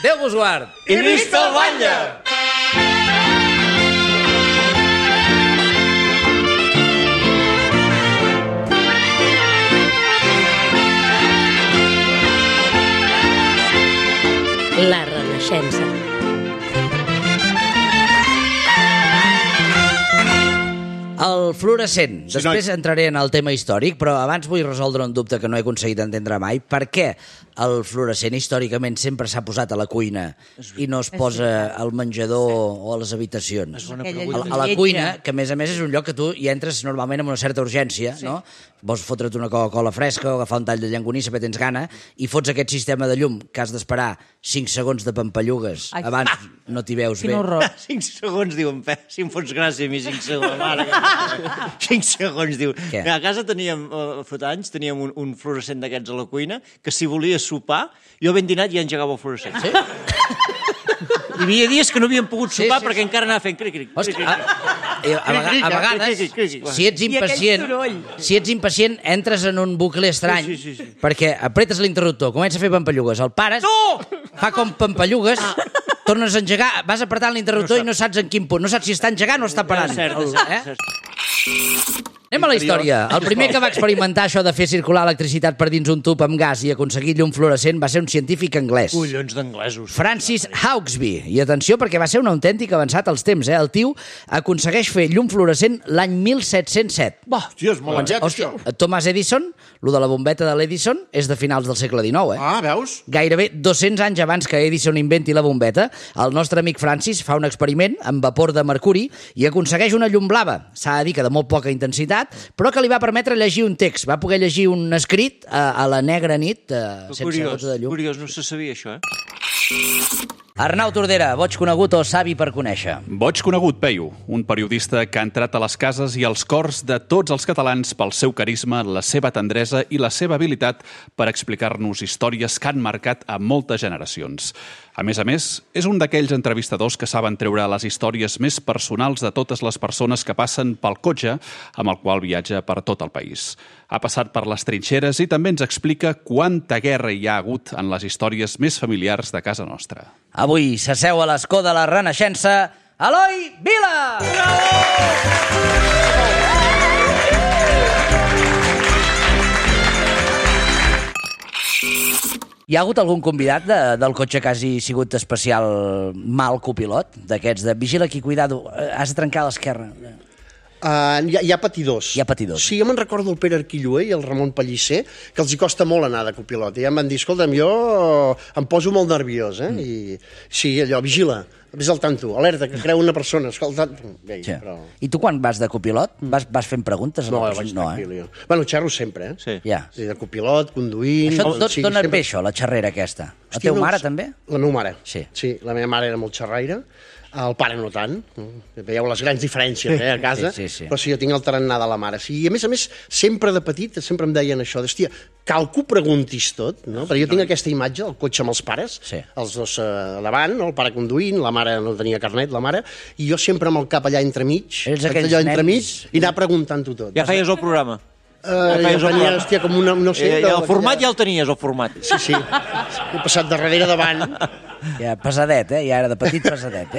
Déu vos guard. I visca el batlle! La Renaixença. El fluorescent. Després entraré en el tema històric, però abans vull resoldre un dubte que no he aconseguit entendre mai. Per què el fluorescent històricament sempre s'ha posat a la cuina i no es posa al menjador o a les habitacions? A la cuina, que a més és un lloc que tu hi entres normalment amb una certa urgència, no? Vols fotre't una Coca-Cola fresca o agafar un tall de llangonissa perquè tens gana i fots aquest sistema de llum que has d'esperar 5 segons de pampallugues abans no t'hi veus bé. 5 segons, diuen, si em fots gràcia a mi 5 segons, mare. 5 segons, diu. A casa teníem, fa anys, teníem un fluorescent d'aquests a la cuina que si volia sopar, jo ben dinat ja engegava el fluorescent. Sí? Hi havia dies que no havíem pogut sopar perquè encara anava fent cric-cric. A vegades, si ets impacient, entres en un bucle estrany, perquè apretes l'interruptor, comença a fer pampallugues, el pares, fa com pampallugues, tornes a engegar, vas apretant l'interruptor i no saps en quin punt, no saps si està engegant o està parant. Anem a la història. El primer que va experimentar això de fer circular electricitat per dins un tub amb gas i aconseguir llum fluorescent va ser un científic anglès. Collons d'anglesos. Francis Hauksbee. I atenció, perquè va ser un autèntic avançat als temps. El tio aconsegueix fer llum fluorescent l'any 1707. Hòstia, és molt aviat, això. Thomas Edison, lo de la bombeta de l'Edison, és de finals del segle XIX, Ah, veus? Gairebé 200 anys abans que Edison inventi la bombeta, el nostre amic Francis fa un experiment amb vapor de mercuri i aconsegueix una llum blava. S'ha de dir que de molt poca intensitat, però que li va permetre llegir un text. Va poder llegir un escrit a la negra nit sense gots de llum. Curiós, no se sabia això, Arnau Tordera, boig conegut o savi per conèixer? Boig conegut, Peyu, un periodista que ha entrat a les cases i als cors de tots els catalans pel seu carisma, la seva tendresa i la seva habilitat per explicar-nos històries que han marcat a moltes generacions. A més, és un d'aquells entrevistadors que saben treure les històries més personals de totes les persones que passen pel cotxe amb el qual viatja per tot el país. Ha passat per les trinxeres i també ens explica quanta guerra hi ha hagut en les històries més familiars de casa nostra. Avui s'asseu a l'escó de la Renaixença Eloi Vila! Hi ha hagut algun convidat del cotxe que hagi sigut especial mal copilot? D'aquests de vigila aquí, cuidado, has de trencar a l'esquerra. Hi ha patidors. Hi ha patidors. Sí, jo me'n recordo el Pere Arquilloé i el Ramon Pellicer, que els hi costa molt anar de copilot. I ja em van dir, escolta'm, jo em poso molt nerviós, I sí, allò, vigila, vés al tanto, alerta, que creu una persona, escolta... Però... I tu quan vas de copilot vas fent preguntes? No, vaig tranquil, jo. Bueno, xerro sempre, Sí. Ja. De copilot, conduint... Això d'on et ve això, la xerrera aquesta? La teva mare també? La meva mare. Sí. Sí, la meva mare era molt xerraire. El pare no tant. Veieu les grans diferències a casa. Sí. Però sí, jo tinc el tarannà de la mare. Sí, i a més, sempre de petit, sempre em deien això, d'hòstia, cal que ho preguntis tot, no? Perquè jo tinc aquesta imatge, el cotxe amb els pares, els dos davant, no? El pare conduint, la mare no tenia carnet, la mare, i jo sempre amb el cap allà entremig, i anar preguntant-ho tot. Ja feies el programa? Venia, hòstia, com una... No sé, el format ja el tenies, el format. Sí. He passat de darrere davant. Ja, pesadet, ja era de petit pesadet,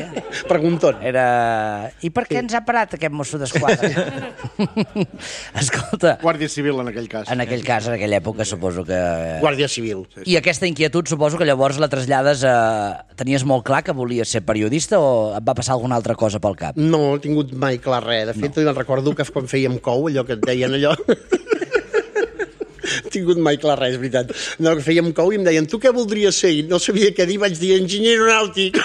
Pregunton. I per què ens ha parat aquest mosso d'esquadra? Escolta... Guàrdia Civil, en aquell cas. En aquella època, suposo que... Guàrdia Civil. I aquesta inquietud, suposo que llavors la trasllades a... Tenies molt clar que volies ser periodista o et va passar alguna altra cosa pel cap? No he tingut mai clar res. De fet, me'n recordo que quan fèiem cou, allò que et deien allò... tingut mai clar res, és veritat. No, que fèiem cou i em deien, tu què voldries ser? I no sabia què dir, vaig dir enginyer aeronàutic.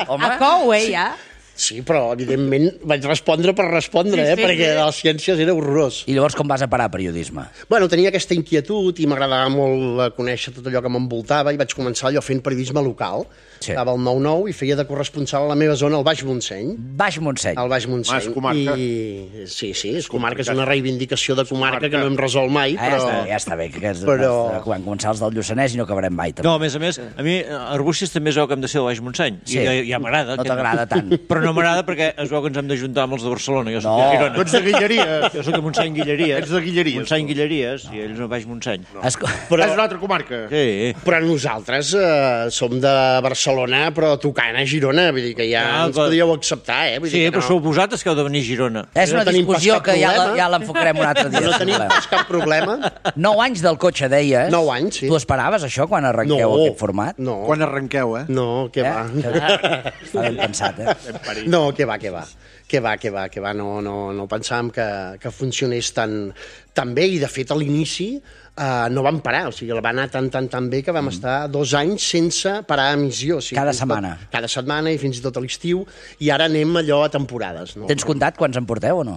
Home. A cou, ja? Sí, però evidentment vaig respondre per respondre, perquè de les ciències era horrorós. I llavors com vas a parar a periodisme? Bueno, tenia aquesta inquietud i m'agradava molt conèixer tot allò que m'envoltava i vaig començar allò fent periodisme local. Estava al 9-9 i feia de corresponsal a la meva zona, al Baix Montseny. Baix Montseny. Al Baix Montseny. És comarca. Sí, és comarca, és una reivindicació de comarca que no hem resolt mai, però... Ja està bé, que quan començar els del Lluçanès i no acabarem mai. No, a més, a mi Arbúcies també és el que hem de ser del Baix Montseny. I ja m'agrada. No t'agrada tant. Però no m'agrada perquè es veu que ens hem d'ajuntar amb els de Barcelona. Jo soc de Girona. Tu ets de Guilleries. Jo soc de Montseny Guilleries. Ets de Guilleries. Montseny Guilleries, i ells no baix Montseny. Però... És una altra comarca. Sí. Però nosaltres som de Barcelona, però tocant a Girona. Vull dir que ja ens podríeu acceptar, Vull sí, dir però sou vosaltres que heu de venir a Girona. És una discussió que ja l'enfocarem un altre dia. No tenim pas cap problema. 9 anys del cotxe, deies. 9 anys, sí. Tu esperaves això quan arrenqueu aquest format? No. Quan arrenqueu, No, què va. Està ben pensat, No, què va. No pensàvem que funcionés tan bé, i de fet a l'inici no vam parar, o sigui, va anar tan bé que vam estar 2 anys sense parar emissió. O sigui, cada setmana. Cada setmana i fins i tot a l'estiu, i ara anem allò a temporades. No? Tens comptat quants en porteu o no?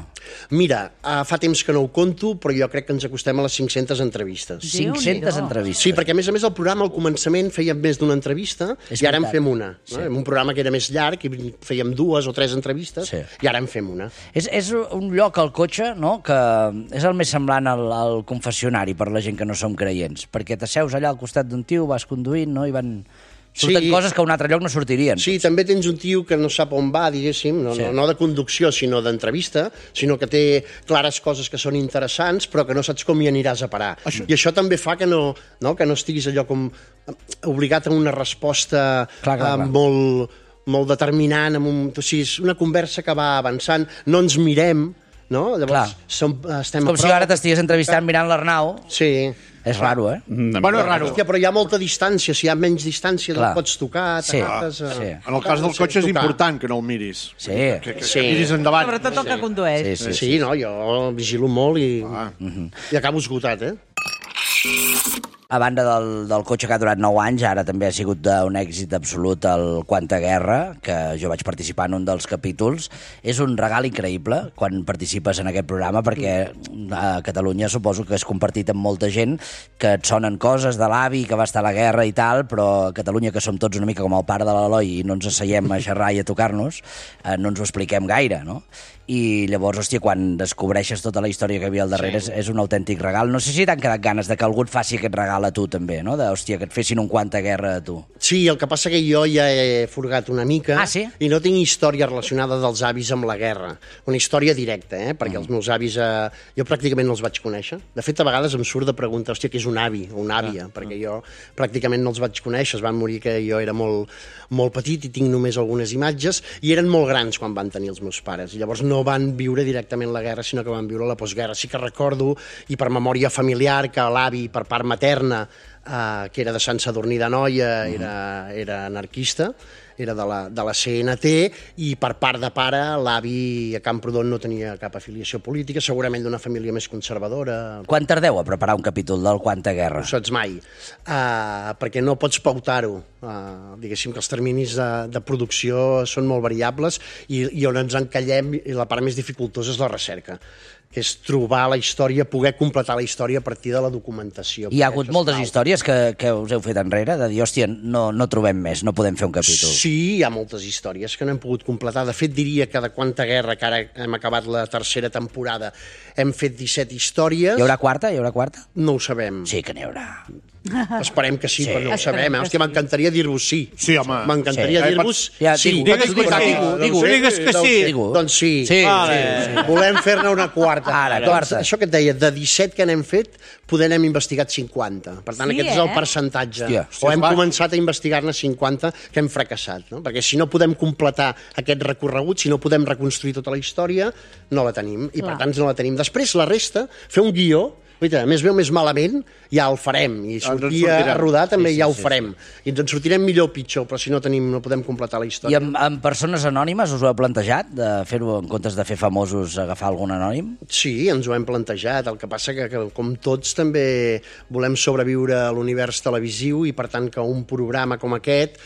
Mira, fa temps que no ho conto, però jo crec que ens acostem a les 500 entrevistes. 500 entrevistes. Sí, perquè a més el programa al començament fèiem més d'una entrevista i ara en fem una. No? Un programa que era més llarg i fèiem 2 o 3 entrevistes i ara en fem una. És un lloc al cotxe, no?, que és el més semblant al confessionari per la gent que no som creients, perquè t'asseus allà al costat d'un tio, vas conduint, no?, i surten coses que a un altre lloc no sortirien. Sí, també tens un tio que no sap on va, diguéssim, no de conducció, sinó d'entrevista, sinó que té clares coses que són interessants, però que no saps com hi aniràs a parar. I això també fa que no estiguis allò com obligat a una resposta molt determinant, o sigui, és una conversa que va avançant, no ens mirem, no? Llavors, estem com si ara t'estigués entrevistant mirant l'Arnau. Sí. És raro, Bueno, és raro. Hòstia, però hi ha molta distància. Si hi ha menys distància, no pots tocar, t'agafes... En el cas del cotxe és important que no el miris. Sí. Que miris endavant. Sobretot el que condueix. Sí, no, jo vigilo molt i acabo esgotat, A banda del cotxe que ha durat 9 anys, ara també ha sigut un èxit absolut el Quanta Guerra, que jo vaig participar en un dels capítols. És un regal increïble quan participes en aquest programa, perquè a Catalunya suposo que és compartit amb molta gent, que et sonen coses de l'avi que va estar a la guerra i tal, però a Catalunya, que som tots una mica com el pare de l'Eloi i no ens asseiem a xerrar i a tocar-nos, no ens ho expliquem gaire, no? I llavors, hòstia, quan descobreixes tota la història que hi havia al darrere, és un autèntic regal. No sé si t'han quedat ganes de que algú et faci aquest regal a tu també, no? Hòstia, que et fessin un Quanta Guerra a tu. Sí, el que passa que jo ja he furgat una mica i no tinc història relacionada dels avis amb la guerra. Una història directa, perquè els meus avis jo pràcticament no els vaig conèixer. De fet, a vegades em surt de preguntar, hòstia, què és un avi o una àvia? Perquè jo pràcticament no els vaig conèixer. Es van morir que jo era molt petit i tinc només algunes imatges, i eren molt grans quan van tenir els meus pares. I llavors no van viure directament la guerra, sinó que van viure la postguerra. Sí que recordo, i per memòria familiar, que l'avi per part materna, que era de Sant Sadurní d'Anoia, era anarquista, era de la CNT, i per part de pare, l'avi a Camprodon no tenia cap afiliació política, segurament d'una família més conservadora. Quan tardeu a preparar un capítol del Quanta Guerra? No saps mai, perquè no pots pautar-ho. Diguéssim que els terminis de producció són molt variables i on ens encallem, i la part més dificultosa és la recerca, que és trobar la història, poder completar la història a partir de la documentació. Hi ha hagut moltes històries que us heu fet enrere, de dir, hòstia, no trobem més, no podem fer un capítol. Sí, hi ha moltes històries que no hem pogut completar. De fet, diria que de Quanta Guerra, que ara hem acabat la tercera temporada, hem fet 17 històries. Hi haurà quarta? No ho sabem. Sí que n'hi haurà. Esperem que sí, però no ho sabem. Hòstia, m'encantaria dir-vos sí. Sí, home. M'encantaria dir-vos sí. Digues que sí. Doncs sí. Volem fer-ne una quarta. Això que et deia, de 17 que n'hem fet, poder n'hem investigat 50. Per tant, aquest és el percentatge. O hem començat a investigar-ne 50 que hem fracassat. Perquè si no podem completar aquest recorregut, si no podem reconstruir tota la història, no la tenim. I per tant no la tenim. Després, la resta, fer un guió, més bé o més malament, ja el farem. I sortir a rodar també ja ho farem. I ens en sortirem millor o pitjor, però si no podem completar la història. I amb persones anònimes us ho heu plantejat, de fer-ho en comptes de fer famosos, agafar algun anònim? Sí, ens ho hem plantejat. El que passa que com tots, també volem sobreviure a l'univers televisiu i, per tant, que un programa com aquest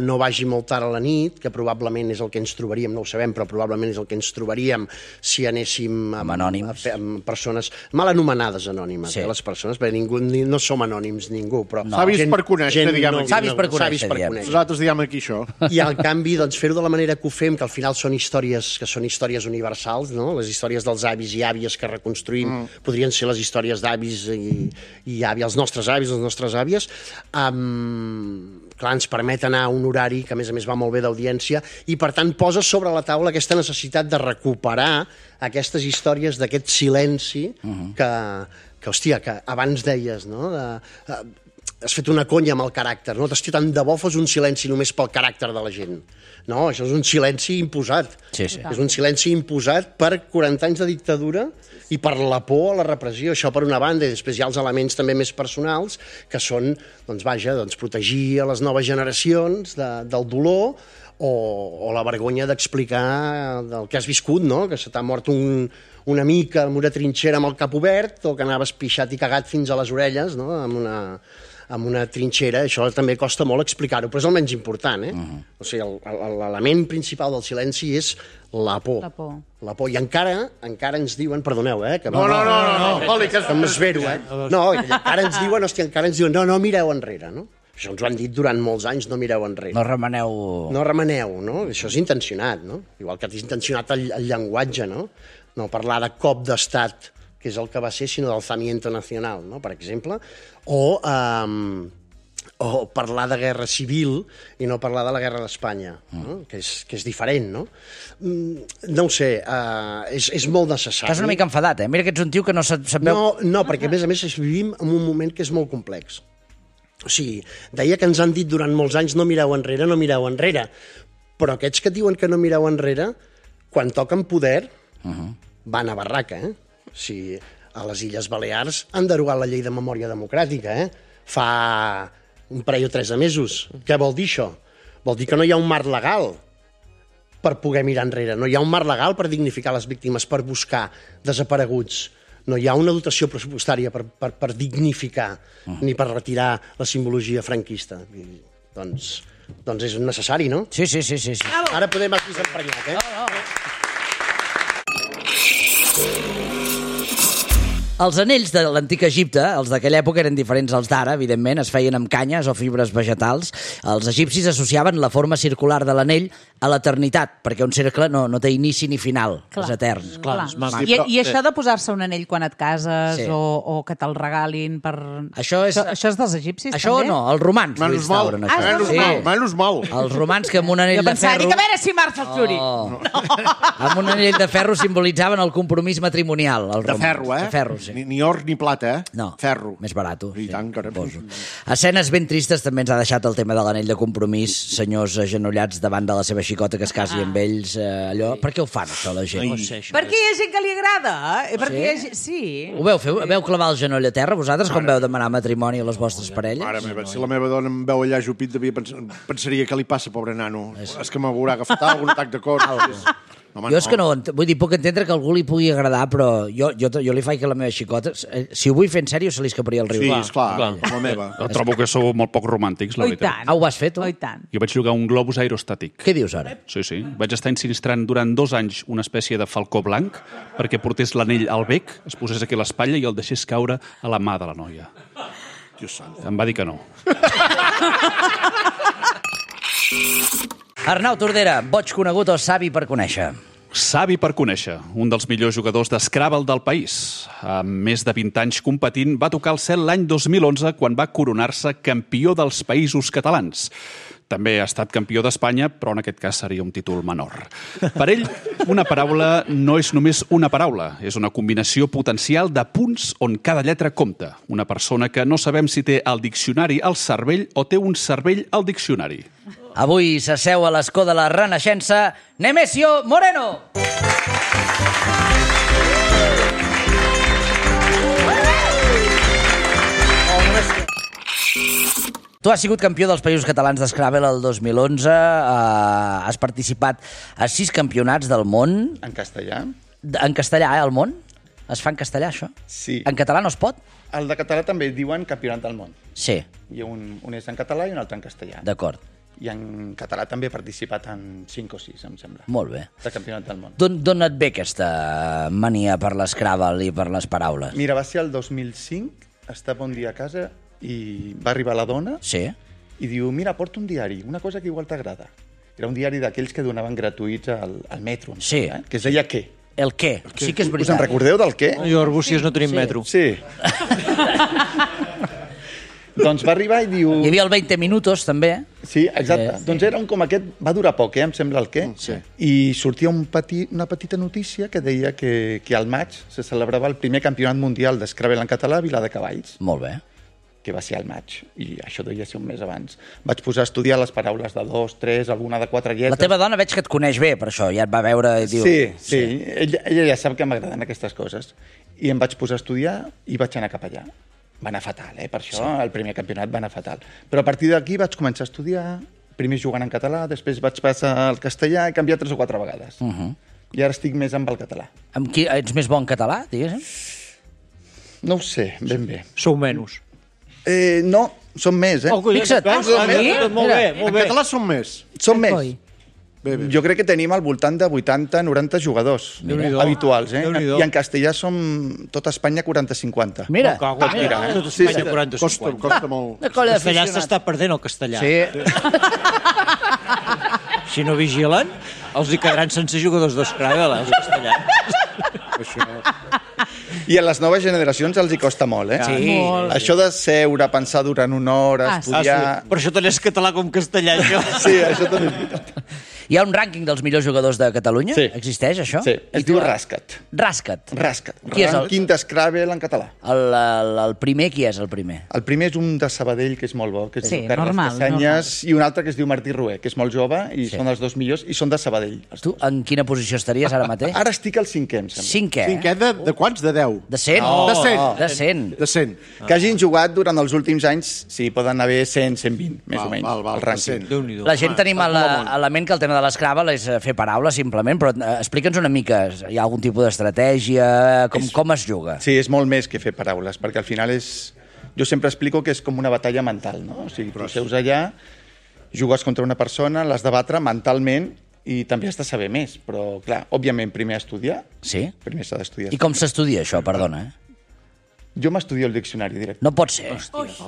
no vagi molt tard a la nit, que probablement és el que ens trobaríem, no ho sabem, però probablement és el que ens trobaríem si anéssim amb anònims, amb persones mal anomenades, anomenades anònimes, les persones, perquè no som anònims ningú, però... Savis per conèixer, diguem aquí. Savis per conèixer, diguem. Nosaltres diguem aquí això. I al canvi, doncs, fer-ho de la manera que ho fem, que al final són històries universals, no? Les històries dels avis i àvies que reconstruïm podrien ser les històries d'avis i àvies, els nostres avis, les nostres àvies. Clar, ens permet anar a un horari que, a més va molt bé d'audiència i, per tant, posa sobre la taula aquesta necessitat de recuperar aquestes històries d'aquest silenci que hòstia, que abans deies, no? Has fet una conya amb el caràcter, no? Hòstia, tant de bo fos un silenci només pel caràcter de la gent. No, això és un silenci imposat. Sí. És un silenci imposat per 40 anys de dictadura i per la por a la repressió, això per una banda, i després hi ha els elements també més personals, que són, protegir a les noves generacions del dolor o la vergonya d'explicar del que has viscut, no? Que se t'ha mort un amic en una trinxera amb el cap obert o que anaves pixat i cagat fins a les orelles, no? amb una trinxera, això també costa molt explicar-ho, però és el menys important, O sigui, l'element principal del silenci és la por. La por. I encara ens diuen, perdoneu, que... No. Oli, que m'esvero, No, encara ens diuen, no, mireu enrere, no? Això ens ho han dit durant molts anys, no mireu enrere. No remeneu, no? Això és intencionat, no? Igual que és intencionat el llenguatge, no? No parlar de cop d'estat, que és el que va ser, sinó d'alzamiento nacional, no? Per exemple, o parlar de guerra civil i no parlar de la guerra d'Espanya, no? que és diferent, no? No ho sé, és molt necessari. Estàs una mica enfadat, Mira que ets un tio que no sap veu... No, perquè a més vivim en un moment que és molt complex. O sigui, deia que ens han dit durant molts anys no mireu enrere, però aquests que diuen que no mireu enrere, quan toquen poder, van a barraca, O sigui, a les Illes Balears han derogat la llei de memòria democràtica, fa un parell o 3 de mesos. Què vol dir això? Vol dir que no hi ha un marc legal per poder mirar enrere, no hi ha un marc legal per dignificar les víctimes, per buscar desapareguts, no hi ha una dotació pressupostària per dignificar ni per retirar la simbologia franquista. Doncs és necessari, no? Sí. Ara podem aquí s'emprenyat, Els anells de l'antic Egipte, els d'aquella època, eren diferents als d'ara, evidentment, es feien amb canyes o fibres vegetals. Els egipcis associaven la forma circular de l'anell a l'eternitat, perquè un cercle no té inici ni final, és etern. Clar. I això de posar-se un anell quan et cases o que te'l regalin per... Això és dels egipcis, això també? Això no, els romans. Menys mal. Els romans que amb un anell de ferro... Jo pensava, dic, a veure si marxa el Flori. Amb un anell de ferro simbolitzaven el compromís matrimonial. De ferro, De ferro, sí. Ni or ni plata, No, ferro. més barat. I tant, caram. Escenes ben tristes també ens ha deixat el tema de l'anell de compromís, senyors agenollats davant de la seva xicota que es casi amb ells, allò. Per què ho fan, això, la gent? Perquè hi ha gent que li agrada. Sí. Ho veu fer? Veu clavar el genoll a terra, vosaltres, quan veu demanar matrimoni a les vostres parelles? Mare meva, si la meva dona em veu allà ajupit, pensaria què li passa, pobre nano. És que m'haurà agafat algun atac de cor. Jo és que no, vull dir, puc entendre que a algú li pugui agradar, però jo li faig que la meva xicota, si ho vull fer en sèrio, se li escaparia el riu. Sí, esclar, la meva. Trobo que sou molt poc romàntics, la veritat. Ah, ho vas fer, tu? I tant. Jo vaig jugar un globus aerostàtic. Què dius ara? Sí. Vaig estar ensinistrant durant 2 anys una espècie de falcó blanc perquè portés l'anell al bec, es posés aquí a l'espatlla i el deixés caure a la mà de la noia. Dios sant. Em va dir que no. Arnau Tordera, boig conegut o savi per conèixer? Savi per conèixer, un dels millors jugadors d'Scrabble del país. Amb més de 20 anys competint, va tocar el cel l'any 2011 quan va coronar-se campió dels Països Catalans. També ha estat campió d'Espanya, però en aquest cas seria un títol menor. Per ell, una paraula no és només una paraula, és una combinació potencial de punts on cada lletra compta. Una persona que no sabem si té el diccionari al cervell o té un cervell al diccionari. Avui s'asseu a l'escó de la Renaixença Nemesio Moreno. Tu has sigut campió dels Països Catalans d'Scrabble el 2011, has participat a 6 campionats del món. En castellà? En castellà, el món? Es fa en castellà, això? Sí. En català no es pot? El de català també diuen campionat del món. Sí. I un és en català i un altre en castellà. D'acord. I en català també he participat en 5 o 6, em sembla. Molt bé. De campionat del món. D'on et ve aquesta mania per l'Scrabble i per les paraules? Mira, va ser el 2005, estava un dia a casa i va arribar la dona i diu, mira, porta un diari, una cosa que igual t'agrada. Era un diari d'aquells que donaven gratuïts al metro, que es deia Què. El Què, sí que és veritat. Us en recordeu del Què? Jo a Arbúcies no tenim metro. Sí. Doncs va arribar i diu... Hi havia el 20 minutos, també. Sí, exacte. Doncs era com aquest... Va durar poc, em sembla, el Què. Sí. I sortia una petita notícia que deia que al maig se celebrava el primer campionat mundial d'Scrabble en català a Viladecavalls. Molt bé. Que va ser al maig, i això devia ser un mes abans. Vaig posar a estudiar les paraules de 2, 3, alguna de 4 lletres... La teva dona veig que et coneix bé, per això, ja et va veure i diu... Sí. Ella ja sap que m'agraden aquestes coses. I em vaig posar a estudiar i vaig anar cap allà. Va anar fatal, per això el primer campionat va anar fatal. Però a partir d'aquí vaig començar a estudiar, primer jugant en català, després vaig passar al castellà i canviar 3 o 4 vegades. I ara estic més amb el català. Amb qui ets més bon català, diguéssim? No ho sé, ben bé. Sou menys. No, som més, Fixa't. Molt bé. En català som més. Som més. Jo crec que tenim al voltant de 80-90 jugadors habituals, I en castellà som tot Espanya 40-50. Mira. Tot Espanya 40-50. Costa molt. El castellà s'està perdent, el castellà. Si no vigilen, els hi quedaran sense jugadors d'Scrabble, els castellans. I a les noves generacions els hi costa molt, Sí. Això de seure, pensar durant una hora, estudiar... Per això tant és català com castellà, jo. Sí, això també és veritat. Hi ha un rànquing dels millors jugadors de Catalunya? Sí. Existeix, això? Sí, es diu Rascat. Rascat. Qui és el... Rànquing d'Scrabble en català. El primer, qui és el primer? El primer és un de Sabadell, que és molt bo, que es diu Carles normal. I un altre que es diu Martí Rué, que és molt jove, i són els 2 millors, i són de Sabadell. Tu en quina posició estaries ara mateix? Ara estic al 5è, em sembla. 5è? 5è de quants? De 10? De 100? De 100. De 100. De 100. Que hagin jugat durant els últims anys, sí, poden haver 100, 120, més o menys, el rànquing. La gent tenim a la ment que el tema de l'Scrabble és fer paraules, simplement, però explica'ns una mica, hi ha algun tipus d'estratègia, com es juga? Sí, és molt més que fer paraules, perquè al final és... Jo sempre explico que és com una batalla mental, no? O sigui, tu seus allà, jugues contra una persona, l'has de batre mentalment i també has de saber més, però, clar, òbviament, primer estudiar. Sí? Primer s'ha d'estudiar. I com s'estudia això, perdona? Jo m'estudio el diccionari directe. No pot ser.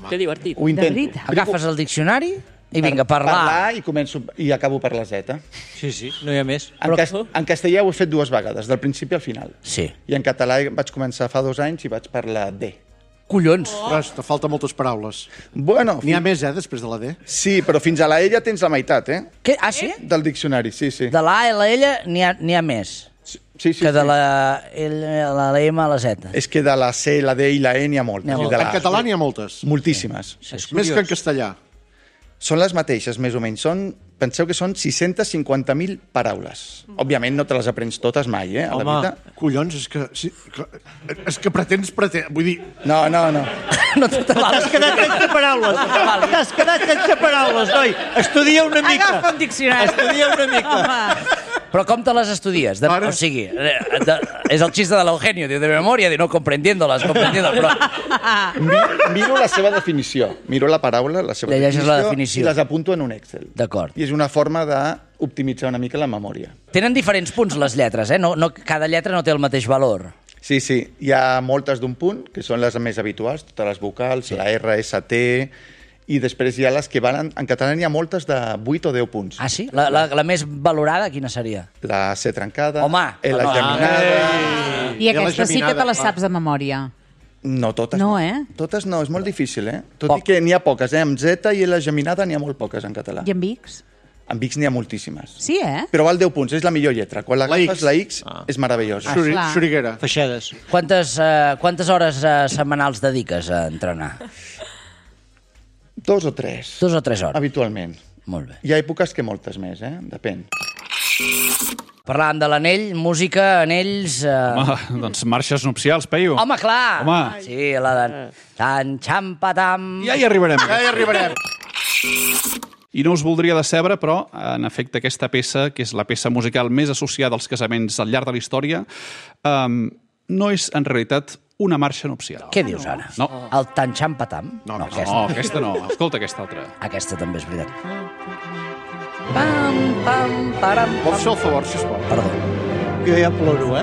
Que divertit. Ho intento. Agafes el diccionari i vinga, parlar. I començo i acabo per la Z. Sí, no hi ha més. En castellà ho he fet 2 vegades, del principi al final. Sí. I en català vaig començar fa 2 anys i vaig per la D. Collons! Ostres, te falta moltes paraules. Bueno... N'hi ha més, després de la D? Sí, però fins a la E ja tens la meitat, Què? Ah, sí? Del diccionari, sí. De la A i la L n'hi ha més. Sí. Que de la M a la Z. És que de la C, la D i la E n'hi ha moltes. En català n'hi ha moltes. Moltíssimes. Més que en castellà. Són les mateixes, més o menys. Penseu que són 650.000 paraules. Òbviament no te les aprens totes mai, a la vida. Collons, és que pretens... Vull dir... No. No te vales. T'has quedat sense paraules. T'has quedat sense paraules, noi. Estudia una mica. Agafa un diccionari. Estudia una mica. Home. Però com te les estudies? O sigui, és el xiste de l'Eugenio, de memòria, de no comprendiéndoles, però... Miro la seva definició. Miro la paraula, la seva definició, i les apunto en un Excel. D'acord. I és una forma d'optimitzar una mica la memòria. Tenen diferents punts les lletres, No, cada lletra no té el mateix valor. Sí. Hi ha moltes d'un punt, que són les més habituals, totes les vocals, la R, S, T... I després hi ha les que van... En català n'hi ha moltes de 8 o 10 punts. Ah, sí? La més valorada, quina seria? La C trencada, Home! la geminada... I aquesta sí que te la saps de memòria. No, totes no. Totes no, és molt difícil, Tot i que n'hi ha poques, Amb Z i la geminada n'hi ha molt poques en català. I amb X? Amb X n'hi ha moltíssimes. Sí, Però val 10 punts, és la millor lletra. Quan l'agafes, la X és meravellosa. Xuriguera. Feixedes. Quantes hores setmanals dediques a entrenar? 2 o 3. 2 o 3 hores. Habitualment. Molt bé. Hi ha èpoques que moltes més, Depèn. Parlàvem de l'anell, música, anells... Home, doncs marxes nupcials, Peyu. Home, clar! Home. Sí, la de... Tan, xampa-tam... Ja hi arribarem. I no us voldria decebre, però, en efecte, aquesta peça, que és la peça musical més associada als casaments al llarg de la història, no és, en realitat, una marxa nupcial. Què dius ara? No. El tan xampa-tam? No, aquesta no. Escolta aquesta altra. Aquesta també és veritat. Vols fer el favor, sisplau? Perdó. Jo ja ploro,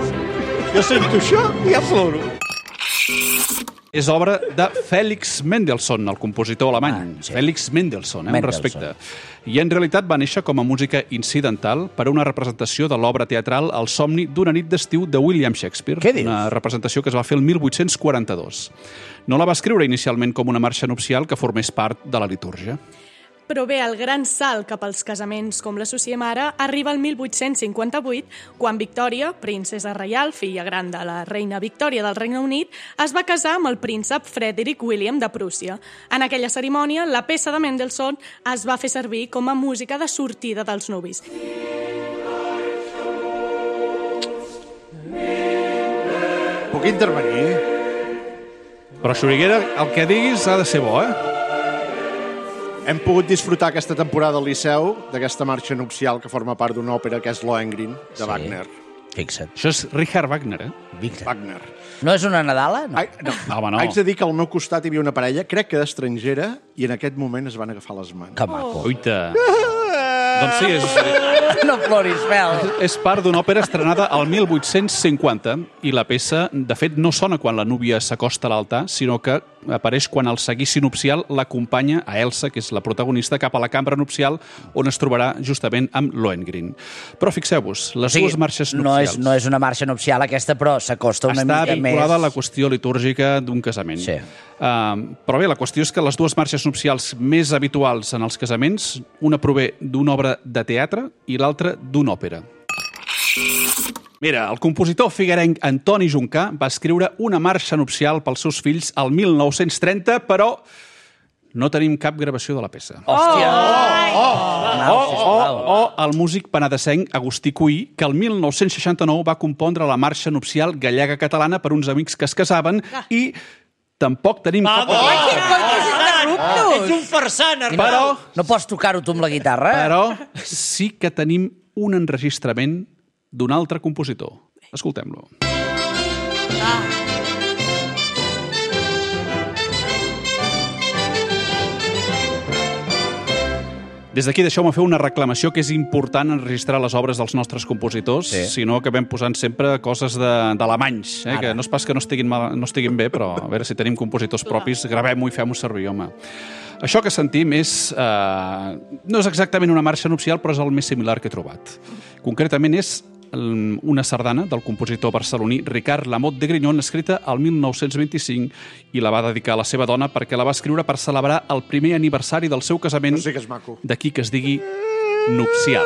Jo sento això i ja ploro. És obra de Felix Mendelssohn, el compositor alemany. Sí. Félix Mendelssohn, un respecte. I en realitat va néixer com a música incidental per a una representació de l'obra teatral El somni d'una nit d'estiu de William Shakespeare. Què dius? Una representació que es va fer el 1842. No la va escriure inicialment com una marxa nupcial que formés part de la litúrgia. Però bé, el gran salt cap als casaments, com l'associem ara, arriba el 1858, quan Victòria, princesa reial, filla gran de la reina Victòria del Regne Unit, es va casar amb el príncep Frederick William de Prússia. En aquella cerimònia, la peça de Mendelssohn es va fer servir com a música de sortida dels nuvis. Puc intervenir? Però, Xuriguera, el que diguis ha de ser bo, Hem pogut disfrutar aquesta temporada al Liceu d'aquesta marxa nupcial que forma part d'una òpera que és Lohengrin, de Wagner. Fixa't. Això és Richard Wagner, Wagner. No és una Nadala? No. No. Home, no. Haig de dir que al meu costat hi havia una parella, crec que d'estrangera, i en aquest moment es van agafar les mans. Que maco. Uita. Doncs sí, No ploris, Fel. és part d'una òpera estrenada al 1850 i la peça, de fet, no sona quan la núvia s'acosta a l'altar, sinó que apareix quan el seguici nupcial l'acompanya a Elsa, que és la protagonista, cap a la cambra nupcial, on es trobarà justament amb Lohengrin. Però fixeu-vos, les dues marxes nupcials... No és una marxa nupcial aquesta, però s'acosta una mica més... Està vinculada a la qüestió litúrgica d'un casament. Sí. Però bé, la qüestió és que les dues marxes nupcials més habituals en els casaments, una prové d'una obra de teatre i l'altra d'una òpera. Mira, el compositor figuerenc Antoni Juncà va escriure una marxa nupcial pels seus fills al 1930, però no tenim cap gravació de la peça. Hòstia! O el músic penedesenc Agustí Cuí, que el 1969 va compondre la marxa nupcial gallega-catalana per uns amics que es casaven i tampoc tenim cap... Ets un farsant, Arnau! Però... No pots tocar-ho tu amb la guitarra? Però sí que tenim un enregistrament d'un altre compositor. Escoltem-lo. Des d'aquí deixeu-me fer una reclamació que és important enregistrar les obres dels nostres compositors, si no acabem posant sempre coses d'alemanys, que no és pas que no estiguin bé, però a veure si tenim compositors propis, gravem-ho i fem-ho servir, home. Això que sentim no és exactament una marxa nupcial, però és el més similar que he trobat. Concretament és una sardana del compositor barceloní Ricard Lamotte de Grignon, escrita al 1925, i la va dedicar a la seva dona perquè la va escriure per celebrar el primer aniversari del seu casament, Sí que és maco. d'aquí que es digui nupcial.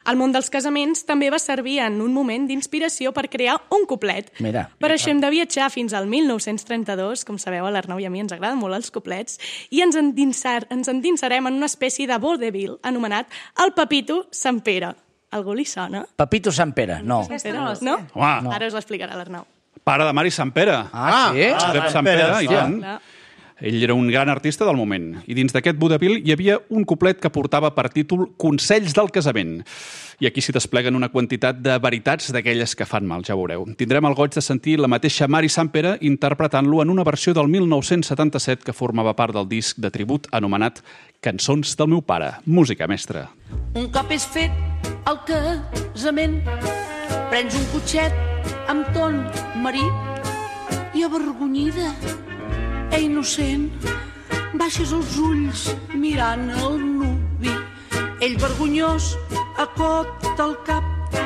El món dels casaments també va servir en un moment d'inspiració per crear un cuplet. Mira. Per això hem de viatjar fins al 1932, com sabeu, a l'Arnau i a mi ens agraden molt els cuplets, i ens endinsarem en una espècie de vodevil anomenat El Pepito Sant Pere. Algú li sona? Pepito Sant Pere, no. Aquesta no la sé. No? Home. Ara us l'explicarà l'Arnau. Pare de Mari Sant Pere. Sí? Josep Sant Pere, i tant. Clar. Ell era un gran artista del moment. I dins d'aquest vodevil hi havia un cuplet que portava per títol Consells del casament. I aquí s'hi despleguen una quantitat de veritats d'aquelles que fan mal, ja veureu. Tindrem el goig de sentir la mateixa Mari Sant Pere interpretant-lo en una versió del 1977 que formava part del disc de tribut anomenat Cançons del meu pare. Música, mestre. Un cop és fet el casament, prens un cotxet amb ton marit i avergonyida innocent, baixes els ulls mirant el nuvi. Ell vergonyós acota el cap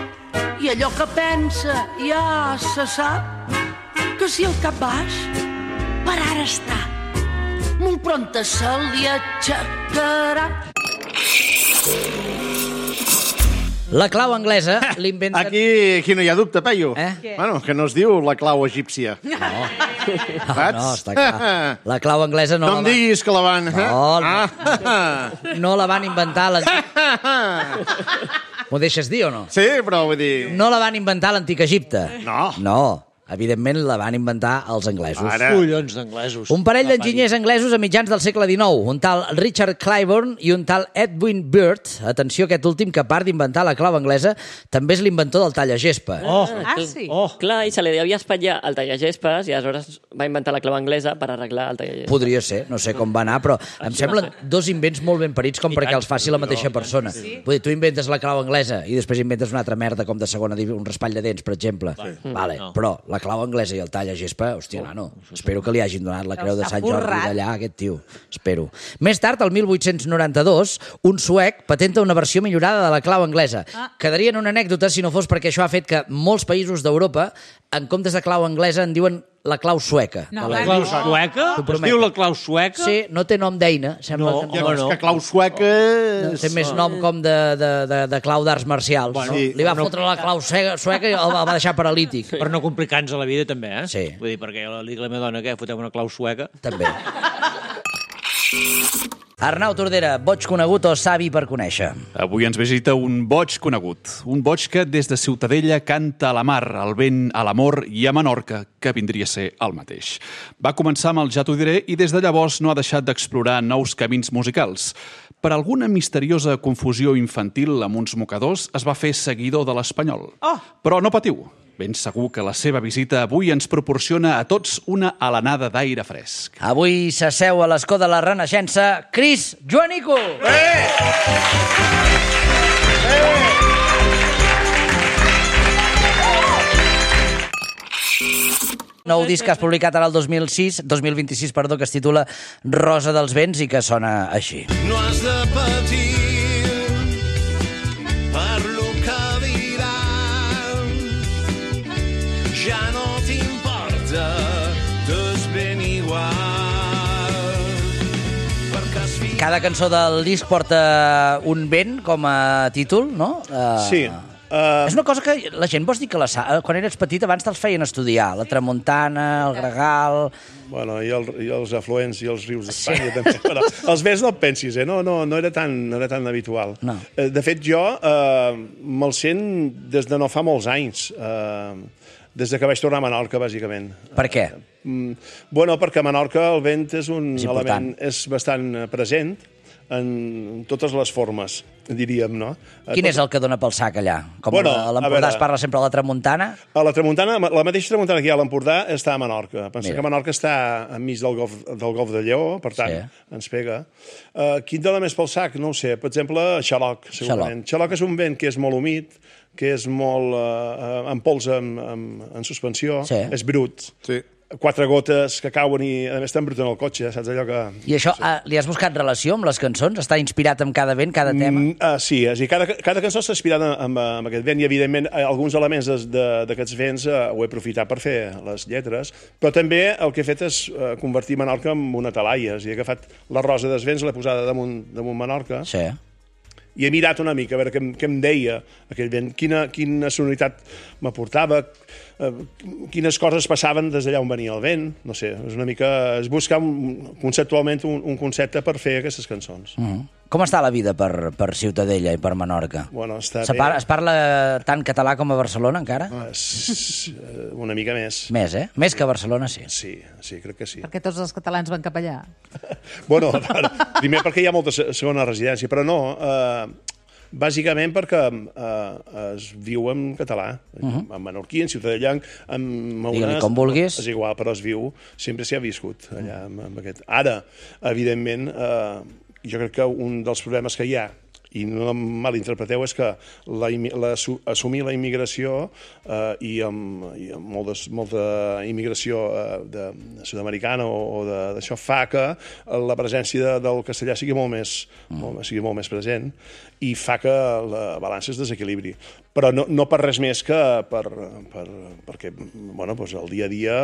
i allò que pensa ja se sap, que si el cap baix per ara està, molt prompte se li aixecarà. La clau anglesa l'inventen... Aquí no hi ha dubte, Peyu. Eh? Bueno, que no es diu la clau egípcia. No, està clar. La clau anglesa no, No em diguis que la van... no la van inventar M'ho deixes dir o no? Sí, però vull dir... No la van inventar a l'antic Egipte. No. No. Evidentment la van inventar els anglesos. Collons d'anglesos. Un parell d'enginyers anglesos a mitjans del segle XIX, un tal Richard Claiborne i un tal Edwin Byrd. Atenció, aquest últim, que a part d'inventar la clau anglesa, també és l'inventor del tallagespa. Sí? Clar, i se li devia espatllar el tallagespes i aleshores va inventar la clau anglesa per arreglar el tallagespes. Podria ser, no sé com va anar, però em semblen dos invents molt ben parits com perquè els faci la mateixa persona. Vull dir, tu inventes la clau anglesa i després inventes una altra merda com de segona, un raspall de dents, per exemple. Vale, però la clau anglesa i el tallagespa, hòstia, nano, espero que li hagin donat la creu de Sant Jordi d'allà a aquest tio. Espero. Més tard, el 1892, un suec patenta una versió millorada de la clau anglesa. Quedaria en una anècdota si no fos perquè això ha fet que molts països d'Europa, en comptes de clau anglesa, en diuen la clau sueca. La clau sueca? Es diu la clau sueca? Sí, no té nom d'eina. No, és que clau sueca... Té més nom com de clau d'arts marcials. Li va fotre la clau sueca i el va deixar paralític. Per no complicar-nos la vida, també, eh? Sí. Vull dir, perquè jo li dic a la meva dona que fotem una clau sueca. També. Arnau Tordera, boig conegut o savi per conèixer? Avui ens visita un boig conegut. Un boig que des de Ciutadella canta a la mar, al vent, a l'amor i a Menorca, que vindria a ser el mateix. Va començar amb el Ja t'ho diré i des de llavors no ha deixat d'explorar nous camins musicals. Per alguna misteriosa confusió infantil amb uns mocadors es va fer seguidor de l'espanyol. Però no patiu. Ben segur que la seva visita avui ens proporciona a tots una alenada d'aire fresc. Avui s'asseu a l'escó de la Renaixença Cris Joanico! Nou disc que has publicat ara el 2026, que es titula Rosa dels vents i que sona així. No has de patir per lo que diran, ja no t'importa, t'és ben igual. Cada cançó del disc porta un vent com a títol, no? Sí. És una cosa que la gent vols dir que quan eres petit abans te'ls feien estudiar, la tramuntana, el gregal... Bueno, i els afluents i els rius d'Espanya també, però els vents no et pensis, no era tan habitual. No. De fet, jo me'l sent des de no fa molts anys, des que vaig tornar a Menorca, bàsicament. Per què? Bueno, perquè a Menorca el vent és un element bastant present, en totes les formes, diríem, no? Quin és el que dona pel sac allà? Com a l'Empordà es parla sempre de la tramuntana? A la tramuntana, la mateixa tramuntana que hi ha a l'Empordà està a Menorca. Pensa que Menorca està enmig del Golf de Lleó, per tant, ens pega. Quin dona més pel sac? No ho sé. Per exemple, xaloc, segurament. Xaloc és un vent que és molt humit, que és molt en pols en suspensió, és brut. Sí. 4 gotes que cauen i, a més, t'embruten el cotxe, saps allò que... I això, li has buscat relació amb les cançons? Està inspirat en cada vent, cada tema? Sí, cada cançó està inspirada amb aquest vent i, evidentment, alguns elements d'aquests vents ho he aprofitat per fer les lletres, però també el que he fet és convertir Menorca en una talaia. He agafat la rosa dels vents, l'he posada damunt Menorca, i he mirat una mica a veure què em deia aquell vent, quina sonoritat m'aportava, quines coses passaven des d'allà on venia el vent, no sé, és una mica... és buscar conceptualment un concepte per fer aquestes cançons. Com està la vida per Ciutadella i per Menorca? Bueno, està bé. Es parla tant català com a Barcelona, encara? Una mica més. Més, eh? Més que a Barcelona, sí. Sí, crec que sí. Perquè tots els catalans van cap allà. Bueno, primer perquè hi ha molta segona residència, però no... Bàsicament perquè es viu en català, en menorquí, en ciutadellà, digue-li com vulguis. És igual, però es viu, sempre s'hi ha viscut allà amb aquest. Ara, evidentment, jo crec que un dels problemes que hi ha, i no em malinterpreteu, és que assumir la immigració i amb molta immigració sud-americana o d'això fa que la presència del castellà sigui molt més present i fa que la balança es desequilibri. Però no per res més que perquè el dia a dia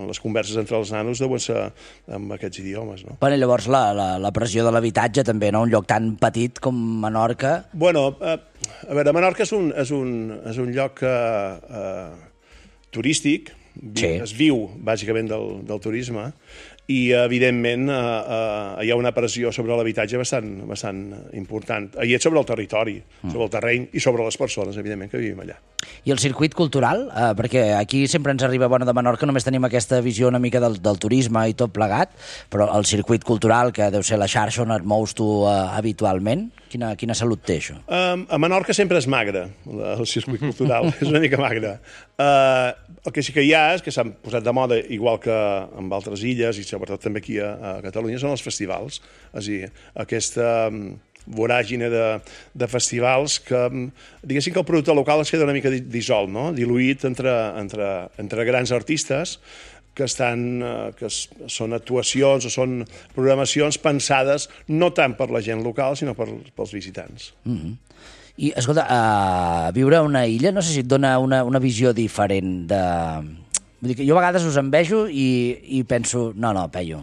les converses entre els nanos deuen ser amb aquests idiomes. Bueno, llavors la pressió de l'habitatge també, no? Un lloc tan petit com Menorca... Bueno, a veure, Menorca és un lloc turístic, es viu bàsicament del turisme, i evidentment hi ha una pressió sobre l'habitatge bastant important. I és sobre el territori, sobre el terreny i sobre les persones, evidentment, que vivim allà. I el circuit cultural? Perquè aquí sempre ens arriba, bueno, de Menorca només tenim aquesta visió una mica del turisme i tot plegat, però el circuit cultural, que deu ser la xarxa on et mous tu habitualment, quina salut té això? A Menorca sempre és magre, el circuit cultural, és una mica magre. El que sí que hi ha és que s'han posat de moda, igual que en altres illes, i sobretot també aquí a Catalunya, són els festivals. És a dir, aquesta voràgine de festivals que, diguéssim que el producte local es queda una mica dissolt, no? Diluït entre grans artistes que són actuacions o són programacions pensades no tant per la gent local, sinó pels visitants. I, escolta, viure a una illa, no sé si et dona una visió diferent de... Vull dir que jo a vegades us envejo i penso, no, Peyu,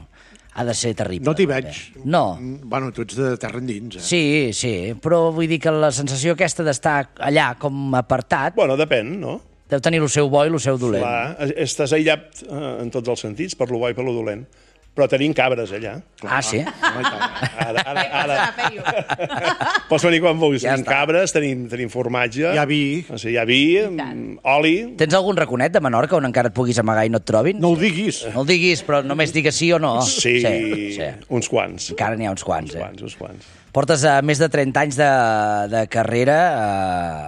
ha de ser terrible. No t'hi veig. No. Bueno, tu ets de terra endins, eh? Sí, però vull dir que la sensació aquesta d'estar allà com apartat... Bueno, depèn, no? Deu tenir el seu bo i el seu dolent. Clar, estàs aïllat en tots els sentits, per lo bo i per lo dolent. Però tenim cabres allà. Ah, sí? Ara. Pots venir quan vulguis. Tenim cabres, tenim formatge. Hi ha vi. Hi ha vi, oli... Tens algun raconet de Menorca on encara et puguis amagar i no et trobin? No ho diguis. No ho diguis, però només digues sí o no. Sí. Uns quants. Encara n'hi ha uns quants, Uns quants. Portes més de 30 anys de carrera,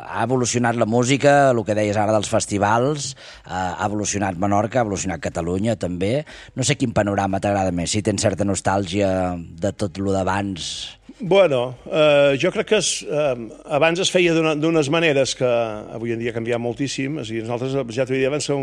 ha evolucionat la música, el que deies ara dels festivals, ha evolucionat Menorca, ha evolucionat Catalunya també. No sé quin panorama t'agrada més, si tens certa nostàlgia de tot lo d'abans. Bueno, jo crec que abans es feia d'unes maneres que avui en dia ha canviat moltíssim. És a dir, nosaltres, ja t'ho dia, vam ser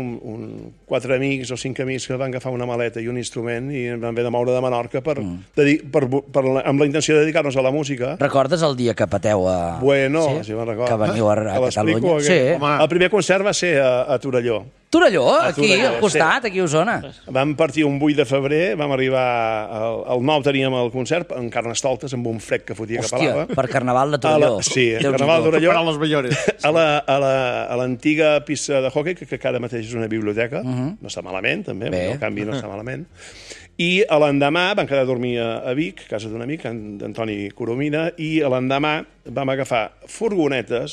4 amics o 5 amics que van agafar una maleta i un instrument i ens van haver de moure de Menorca amb la intenció de dedicar-nos a la música. Recordes el dia que pateu a... Bueno, sí me'n recordo. Que veniu a Catalunya? Sí. El primer concert va ser a Torelló. Torelló, aquí, al costat, aquí a Osona. Vam partir un 8 de febrer, vam arribar al 9 teníem el concert en Carnestoltes, amb un fred que fotia que pelava. Per Carnaval de Torelló. Sí, Carnaval de Torelló. Les Ballores. A l'antiga pista de hockey, que ara mateix és una biblioteca, no està malament, també, el canvi no està malament. I l'endemà vam quedar a dormir a Vic, a casa d'un amic, d'Antoni Coromina, i l'endemà vam agafar furgoneta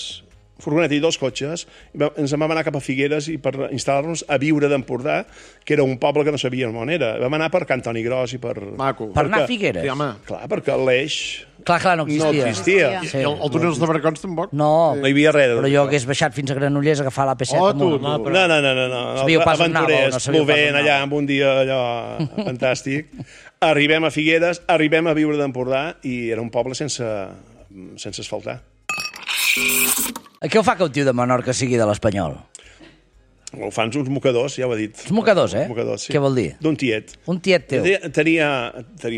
i 2 cotxes, i ens vam anar cap a Figueres i per instal·lar-nos a Viure d'Empordà, que era un poble que no sabíem on era. Vam anar per Can Toni Gros i per... Maco. Per anar a Figueres? Clar, perquè l'Eix... Clar, no existia. Sí. El túnel de Barracons tampoc? No hi havia res. Però jo hagués baixat fins a Granollers a agafar l'AP7. No. Aventurers, plovent allà amb un dia allò fantàstic. Arribem a Figueres, arribem a Viure d'Empordà i era un poble sense asfaltar. Què ho fa que un tio de Menorca sigui de l'Espanyol? Ho fan uns mocadors, ja ho he dit. Uns mocadors, Mocadors, sí. Què vol dir? D'un tiet. Un tiet teu. Tenia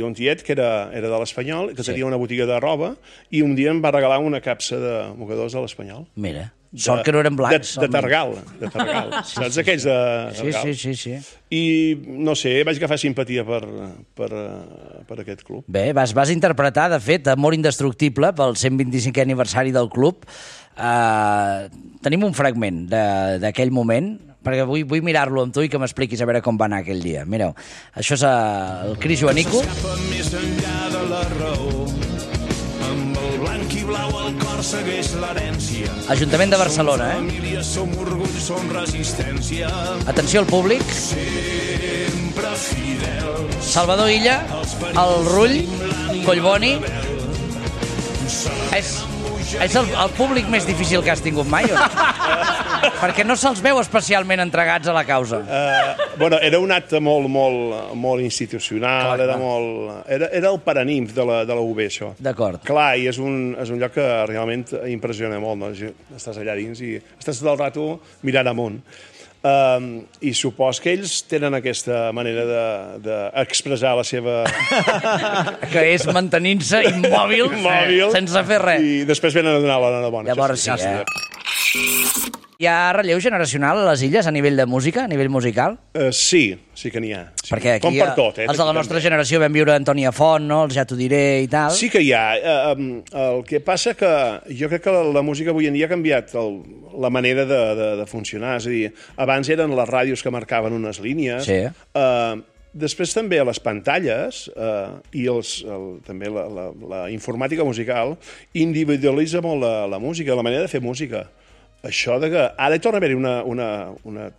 un tiet que era de l'Espanyol, que tenia una botiga de roba, i un dia em va regalar una capsa de mocadors de l'Espanyol. Mira, sort que no eren blancs. De Targal. Saps aquells de Targal? Sí. I, no sé, vaig agafar simpatia per aquest club. Bé, vas interpretar, de fet, Amor Indestructible pel 125è aniversari del club. Tenim un fragment d'aquell moment, perquè vull mirar-lo amb tu i que m'expliquis a veure com va anar aquell dia. Mireu, això és el Cris Joanico. S'escapa més enllà de la raó, amb el blanc i blau al cor segueix l'herència. Ajuntament de Barcelona, Som família, som orgull, som resistència. Atenció al públic. Sempre fidels. Salvador Illa, el Rull, Collboni. És el públic més difícil que has tingut mai, o no? Perquè no se'ls veu especialment entregats a la causa. Bueno, era un acte molt institucional, era el paranimf de la UB, això. D'acord. Clar, i és un lloc que realment impressiona molt, no? Estàs allà dins i estàs tot el rato mirant amunt. I supos que ells tenen aquesta manera d'expressar la seva... Que és mantenint-se immòbil sense fer res. I després venen a donar l'enhorabona. Llavors sí, Hi ha relleu generacional a les illes a nivell de música, a nivell musical? Sí que n'hi ha. Sí. Perquè aquí com per tot, els de la nostra generació vam viure Antònia Font, no? Els Ja t'ho diré i tal. Sí que hi ha. El que passa que jo crec que la música avui en dia ha canviat la manera de funcionar. És a dir, abans eren les ràdios que marcaven unes línies. Sí. Després també a les pantalles i també la informàtica musical individualitza molt la música, la manera de fer música. Això de que ara hi torna a haver-hi una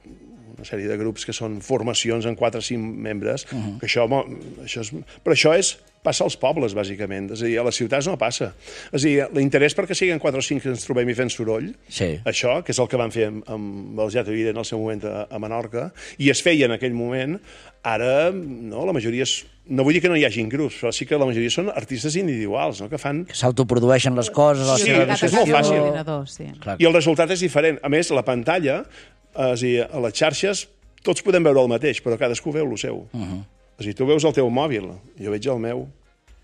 sèrie de grups que són formacions en 4 o 5 membres, que però això passa als pobles, bàsicament. És a dir, a les ciutats no passa. És a dir, l'interès perquè siguin 4 o 5 que ens trobem i fent soroll, això, que és el que van fer amb els Ja t'ho diré en el seu moment a Menorca, i es feia en aquell moment, ara no, la majoria no vull dir que no hi hagin grups, però sí que la majoria són artistes individuals, no? Que s'autoprodueixen les coses. Sí, és molt fàcil. I el resultat és diferent. A més, la pantalla, és a dir, a les xarxes, tots podem veure el mateix, però cadascú veu el seu. És a dir, tu veus el teu mòbil, jo veig el meu,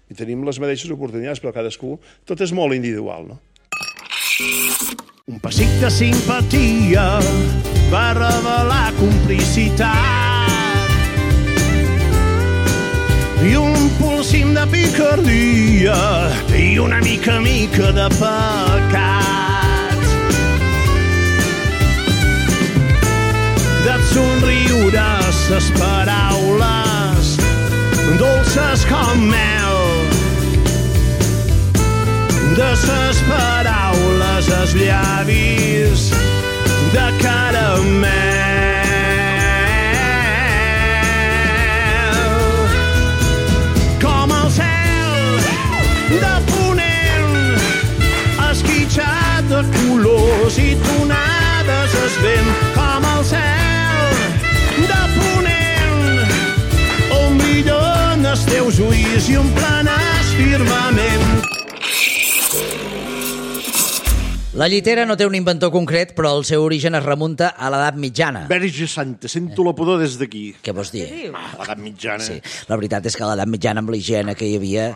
i tenim les mateixes oportunitats, però cadascú, tot és molt individual, no? Un pessic de simpatia va revelar complicitat i un polsim de picardia i una mica de pecat. De somriure ses paraules dolces com mel, de ses paraules els llavis de caramel. Com el cel de ponent esquitxat de colors i tonades es vent. Com el cel de ponent on brillen els teus ulls i omplen el firmament. La llitera no té un inventor concret, però el seu origen es remunta a l'edat mitjana. Verge Santa, sento la pudor des d'aquí. Què vols dir? L'edat mitjana. Sí, la veritat és que a l'edat mitjana, amb la higiene que hi havia,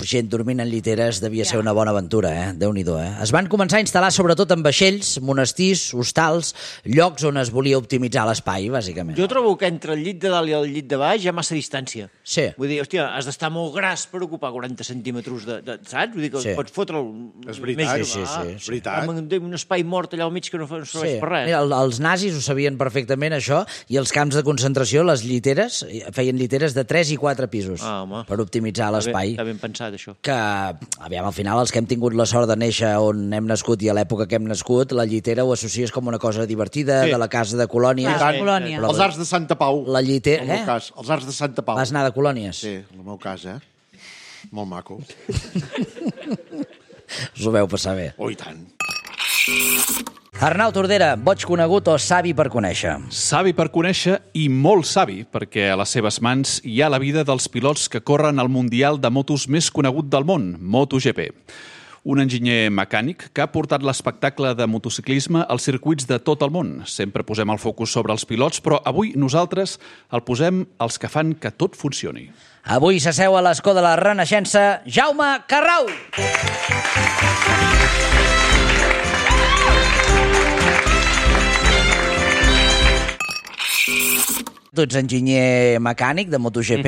gent dormint en lliteres devia ser una bona aventura, Déu-n'hi-do, Es van començar a instal·lar sobretot en vaixells, monestirs, hostals, llocs on es volia optimitzar l'espai, bàsicament. Jo trobo que entre el llit de dalt i el llit de baix hi ha massa distància. Sí. Vull dir, hòstia, has d'estar molt gras per ocupar 40 centímetres saps? Vull dir que pots fotre'l és veritat, més és veritat. Amb un espai mort allà al mig que no serveix per res. Mira, els nazis ho sabien perfectament, això, i els camps de concentració, les lliteres, feien lliteres de 3 i 4 pisos per optimitzar l'espai. Està ben pensat, això. Que, aviam, al final, els que hem tingut la sort de néixer on hem nascut i a l'època que hem nascut, la llitera ho associes com una cosa divertida, de la casa de colònies. Els arcs de Santa Pau, la llitera, en el meu cas. Els arcs de Santa Pau. Vas anar de colònies? Sí, en el meu cas, Molt maco. Us ho veu passar bé. Oh, i tant. Arnau Tordera, boig conegut o savi per conèixer? Savi per conèixer i molt savi, perquè a les seves mans hi ha la vida dels pilots que corren al Mundial de motos més conegut del món, MotoGP. Un enginyer mecànic que ha portat l'espectacle de motociclisme als circuits de tot el món. Sempre posem el focus sobre els pilots, però avui nosaltres el posem als que fan que tot funcioni. Avui s'asseu a l'escó de la Renaixença Jaume Carrau. Tu ets enginyer mecànic de MotoGP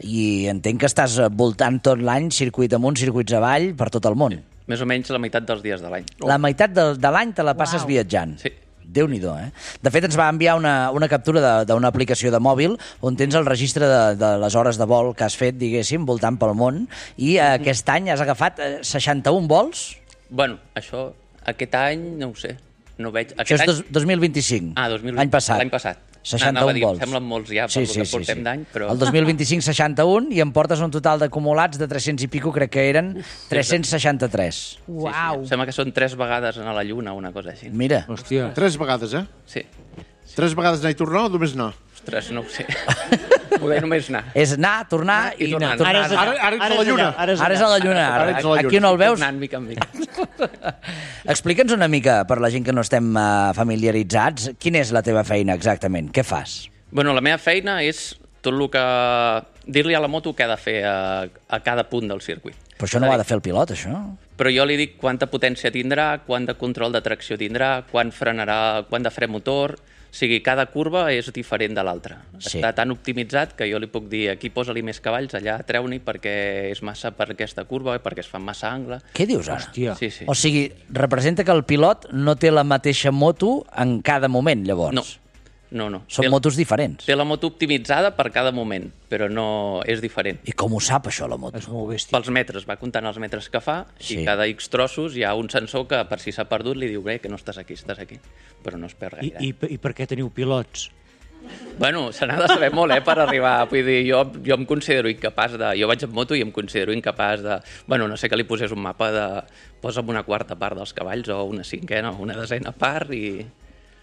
i entenc que estàs voltant tot l'any circuit amunt, circuits avall, per tot el món. Més o menys la meitat dels dies de l'any. La meitat de l'any te la passes viatjant. Sí. Déu-n'hi-do, De fet, ens va enviar una captura d'una aplicació de mòbil on tens el registre de les hores de vol que has fet, diguéssim, voltant pel món, i aquest any has agafat 61 vols? Bueno, això, aquest any, no ho sé. No veig... Això és 2025. Ah, 2020. L'any passat. L'any passat. 61 vols. Semblen molts ja per que portem d'any, però... El 2025, 61, i em portes un total d'acumulats de 300 i pico, crec que eren 363. Uau! Sembla que són 3 vegades anar a la Lluna, una cosa així. Mira. Hòstia. 3 vegades, Sí. 3 vegades anar i tornar o només anar? Ostres, no ho sé. Poder només anar. És anar, tornar i tornar. Ara ets a la Lluna. Ara és a la Lluna. Aquí no el veus? Anant mica en mica. Explica'ns una mica, per la gent que no estem familiaritzats, quina és la teva feina exactament? Què fas? Bueno, la meva feina és tot el que... dir-li a la moto què ha de fer a cada punt del circuit. Però això no ho ha de fer el pilot, això? Però jo li dic quanta potència tindrà, quant de control de tracció tindrà, quant frenarà, quant de fre motor... O sigui, cada curva és diferent de l'altra. Està tan optimitzat que jo li puc dir aquí posa-li més cavalls, allà treu-n'hi perquè és massa per aquesta curva, perquè es fa massa angle. Què dius ara? Hòstia. Sí. O sigui, representa que el pilot no té la mateixa moto en cada moment, llavors? No. Són motos diferents. Té la moto optimitzada per cada moment, però no és diferent. I com ho sap, això, la moto? És molt bèstia. Pels metres, va comptant els metres que fa, i cada X trossos hi ha un sensor que, per si s'ha perdut, li diu que no estàs aquí, però no es perd gaire. I per què teniu pilots? Bueno, se n'ha de saber molt, per arribar. Vull dir, jo em considero incapaç de... Jo vaig amb moto i em considero incapaç de... Bueno, no sé que li posés un mapa de... Posa'm una quarta part dels cavalls o una cinquena o una desena part i...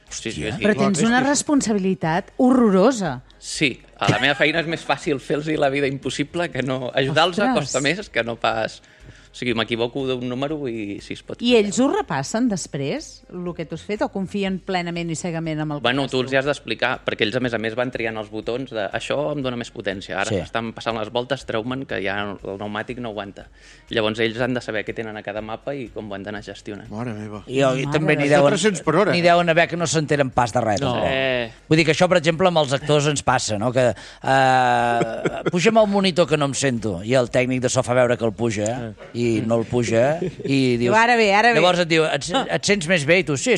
Sí. Però tens una responsabilitat horrorosa. Sí, a la meva feina és més fàcil fer-los la vida impossible que no... Ajudar-los costa més que no pas... O sigui, m'equivoco d'un número i si es pot... I ells ho repassen després, el que tu has fet, o confien plenament i cegament amb el que Bueno, tu els hi has d'explicar, perquè ells, a més, van triant els botons de això em dona més potència, ara estan passant les voltes, treu-me'n que ja el pneumàtic no aguanta. Llavors ells han de saber què tenen a cada mapa i com ho han d'anar gestionant. Mare meva. I també n'hi deuen haver que no s'enteren pas de res. No. Vull dir que això, per exemple, amb els actors ens passa, no? Que pugem el monitor que no em sento, i el tècnic de so fa veure que el puja, i no el puja, i dius... Ara bé. Llavors et diu, et sents més bé? I tu, sí,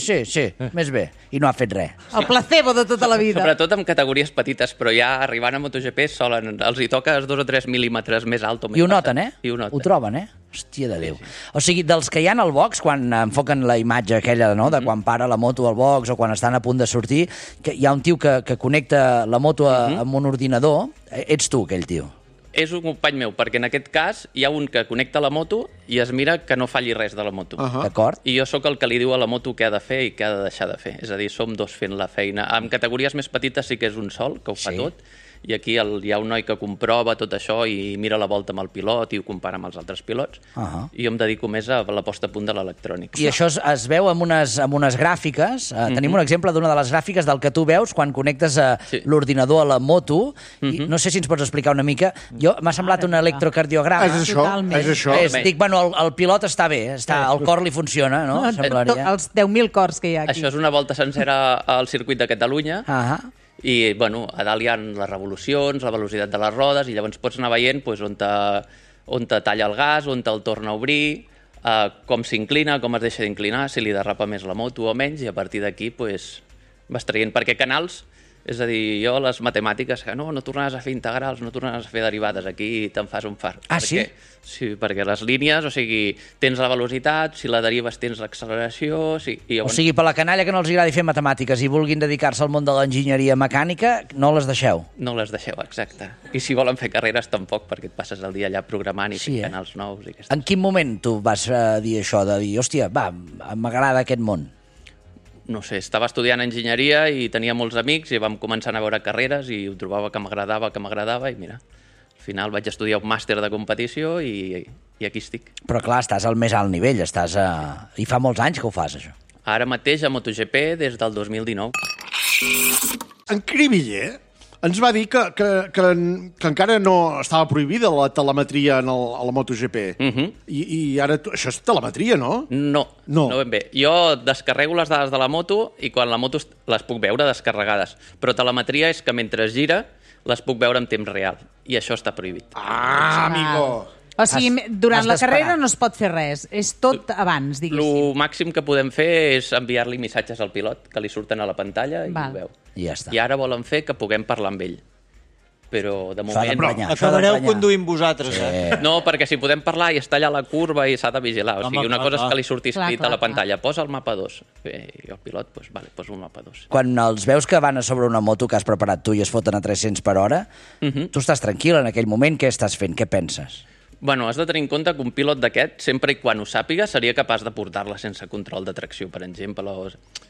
més bé. I no ha fet res. El placebo de tota la vida. Sobretot amb categories petites, però ja arribant a MotoGP els hi toca 2 o 3 mil·límetres més alt o més I ho noten, I ho noten. Ho troben, Hòstia de Déu. O sigui, dels que hi ha al box, quan enfoquen la imatge aquella, no?, de quan para la moto al box o quan estan a punt de sortir, que hi ha un tio que connecta la moto amb un ordinador. Ets tu, aquell tio. És un company meu, perquè en aquest cas hi ha un que connecta la moto i es mira que no falli res de la moto. D'acord. I jo sóc el que li diu a la moto què ha de fer i què ha de deixar de fer. És a dir, som dos fent la feina. En categories més petites sí que és un sol, que ho fa tot, i aquí hi ha un noi que comprova tot això i mira la volta amb el pilot i ho compara amb els altres pilots. I jo em dedico més a la posta a punt de l'electrònic. I això es veu amb unes gràfiques. Tenim un exemple d'una de les gràfiques del que tu veus quan connectes l'ordinador a la moto. I no sé si ens pots explicar una mica. M'ha semblat un electrocardiograma. És això. Dic, bueno, el pilot està bé, el cor li funciona, no? Els 10.000 cors que hi ha aquí. Això és una volta sencera al circuit de Catalunya. I, bueno, a dalt hi ha les revolucions, la velocitat de les rodes, i llavors pots anar veient on te talla el gas, on te'l torna a obrir, com s'inclina, com es deixa d'inclinar, si li derrapa més la moto o menys, i a partir d'aquí vas traient. Perquè canals, és a dir, jo les matemàtiques, que no tornaràs a fer integrals, no tornaràs a fer derivades, aquí te'n fas un fart. Sí? Sí, perquè les línies, o sigui, tens la velocitat, si la derives tens l'acceleració... O sigui, per la canalla que no els agradi fer matemàtiques i vulguin dedicar-se al món de l'enginyeria mecànica, no les deixeu. No les deixeu, exacte. I si volen fer carreres, tampoc, perquè et passes el dia allà programant i fent canals nous. En quin moment tu vas dir això, de dir, hòstia, va, m'agrada aquest món? No sé, estava estudiant enginyeria i tenia molts amics i vam començar a veure carreres i ho trobava que m'agradava i mira, al final vaig estudiar un màster de competició i aquí estic. Però clar, estàs al més alt nivell, i fa molts anys que ho fas, això. Ara mateix a MotoGP des del 2019. En Cribiller ens va dir que encara no estava prohibida la telemetria a la MotoGP. I ara això és telemetria, no? No ben bé. Jo descarrego les dades de la moto i quan la moto les puc veure descarregades. Però telemetria és que mentre gira les puc veure en temps real. I això està prohibit. Amigo! O sigui, durant la carrera no es pot fer res. És tot abans, diguéssim. El màxim que podem fer és enviar-li missatges al pilot, que li surten a la pantalla i ho veu. I ja està. I ara volen fer que puguem parlar amb ell. Però, de moment... Acabareu conduint vosaltres, No, perquè si podem parlar i està allà a la curva i s'ha de vigilar. O sigui, una cosa és que li surti escrit a la pantalla. Posa el mapa 2. I el pilot, posa el mapa 2. Quan els veus que van a sobre una moto que has preparat tu i es foten a 300 per hora, tu estàs tranquil en aquell moment. Què estàs fent? Què penses? Bueno, has de tenir en compte que un pilot d'aquest, sempre i quan ho sàpiga, seria capaç de portar-la sense control de tracció, per exemple.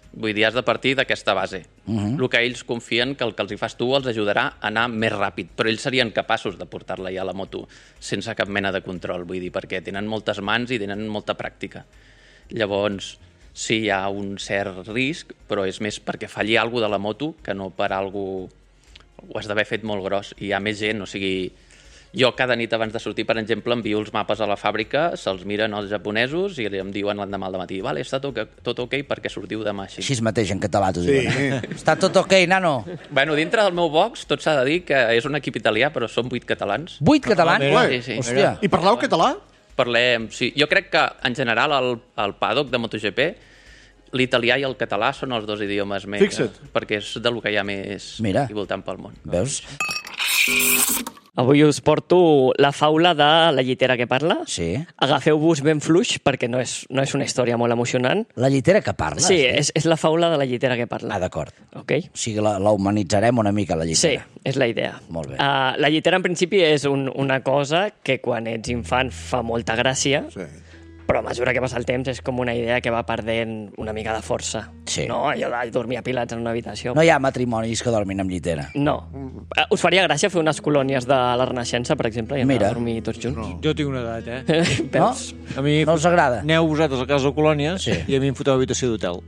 Vull dir, has de partir d'aquesta base. El que ells confien que el que els hi fas tu els ajudarà a anar més ràpid, però ells serien capaços de portar-la ja a la moto sense cap mena de control, vull dir, perquè tenen moltes mans i tenen molta pràctica. Llavors, sí, hi ha un cert risc, però és més perquè falli alguna de la moto que no per alguna... Ho has d'haver fet molt gros i hi ha més gent, o sigui... Jo cada nit abans de sortir, per exemple, envio els mapes a la fàbrica, se'ls miren els japonesos i em diuen l'endemà al matí, vale, està tot ok perquè sortiu demà així. Així mateix en català t'ho diuen. Està tot ok, nano? Bueno, dintre del meu box tot s'ha de dir que és un equip italià, però són 8 catalans. 8 catalans? Sí. Hòstia. I parleu català? Parlem, sí. Jo crec que, en general, al paddock de MotoGP, l'italià i el català són els 2 idiomes més... Fixa't. Perquè és del que hi ha més i voltant pel món. Veus? Avui us porto la faula de La llitera que parla. Sí. Agafeu-vos ben fluix, perquè no és una història molt emocionant. La llitera que parla? Sí, és la faula de La llitera que parla. Ah, d'acord. Ok. O sigui, la humanitzarem una mica, la llitera. Sí, és la idea. Molt bé. La llitera, en principi, és una cosa que quan ets infant fa molta gràcia, però a mesura que passa el temps és com una idea que va perdent una mica de força. Sí. No? Allò de dormir apilats en una habitació. No hi ha matrimonis que dormin amb llitera. No. Us faria gràcia fer unes colònies de la Renaixença, per exemple, i anar a dormir tots junts? No. Jo tinc una edat, eh? No? A mi no us agrada? Aneu vosaltres a casa de colònies i a mi em foteu habitació d'hotel.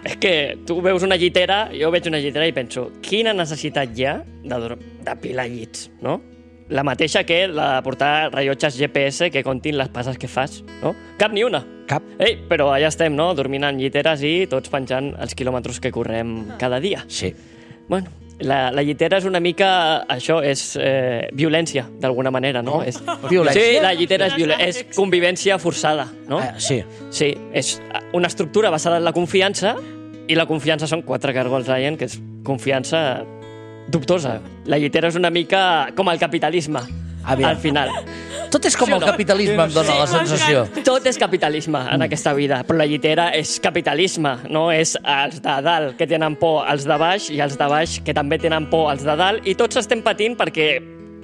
És que tu veus una llitera, jo veig una llitera i penso, quina necessitat hi ha d'apilar llits, no? La mateixa que la de portar rellotges GPS que contin les passes que fas, no? Cap ni una. Cap. Però allà estem, no? Dormint en lliteres i tots penjant els quilòmetres que correm cada dia. Sí. Bueno, la llitera és una mica... Això és violència, d'alguna manera, no? És... Violència? Sí, la llitera és convivència forçada, no? Sí. Sí, és una estructura basada en la confiança i la confiança són 4 cargols Ryan, que és confiança dubtosa. La llitera és una mica com el capitalisme, al final. Tot és com el capitalisme, em dóna la sensació. Tot és capitalisme en aquesta vida, però la llitera és capitalisme, no? És els de dalt que tenen por als de baix i els de baix que també tenen por als de dalt i tots estem patint perquè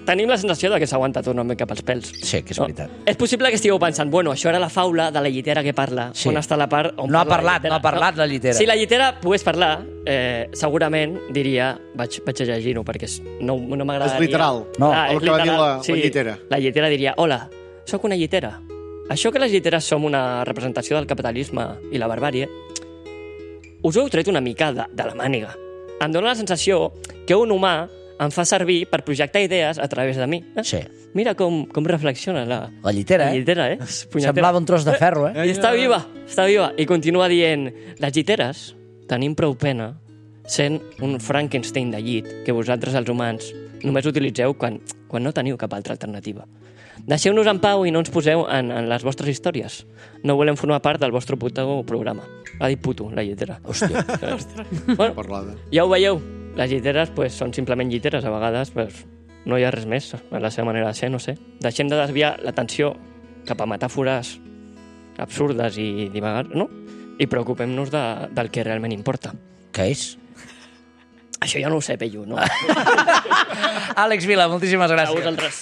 tenim la sensació de que s'ha aguantat una mica pels pèls. Sí, que és veritat. És possible que estigueu pensant, bueno, això era la faula de la llitera que parla. Sí. On està la part on no ha parla parlat, no ha parlat la llitera. Si la llitera pogués parlar, segurament diria, vaig a llegir-ho, perquè no m'agradaria... És literal, no, el que va dir la llitera. La llitera diria, hola, sóc una llitera. Això que les lliteres som una representació del capitalisme i la barbàrie, us ho heu tret una mica de la màniga. Em dóna la sensació que un humà em fa servir per projectar idees a través de mi. Sí. Mira com reflexiona la llitera, La llitera, Semblava un tros de ferro, I està viva. I continua dient, les lliteres tenim prou pena sent un Frankenstein de llit que vosaltres, els humans, només utilitzeu quan no teniu cap altra alternativa. Deixeu-nos en pau i no ens poseu en les vostres històries. No volem formar part del vostre puto programa. Ha dit puto, la llitera. Hòstia. Bueno, ja ho veieu. Les lliteres són simplement lliteres, a vegades no hi ha res més, a la seva manera de ser, no sé. Deixem de desviar l'atenció cap a metàfores absurdes i divagars, no? I preocupem-nos del que realment importa. Què és? Això ja no ho sé, Pello, no? Àlex Vila, moltíssimes gràcies. A vosaltres.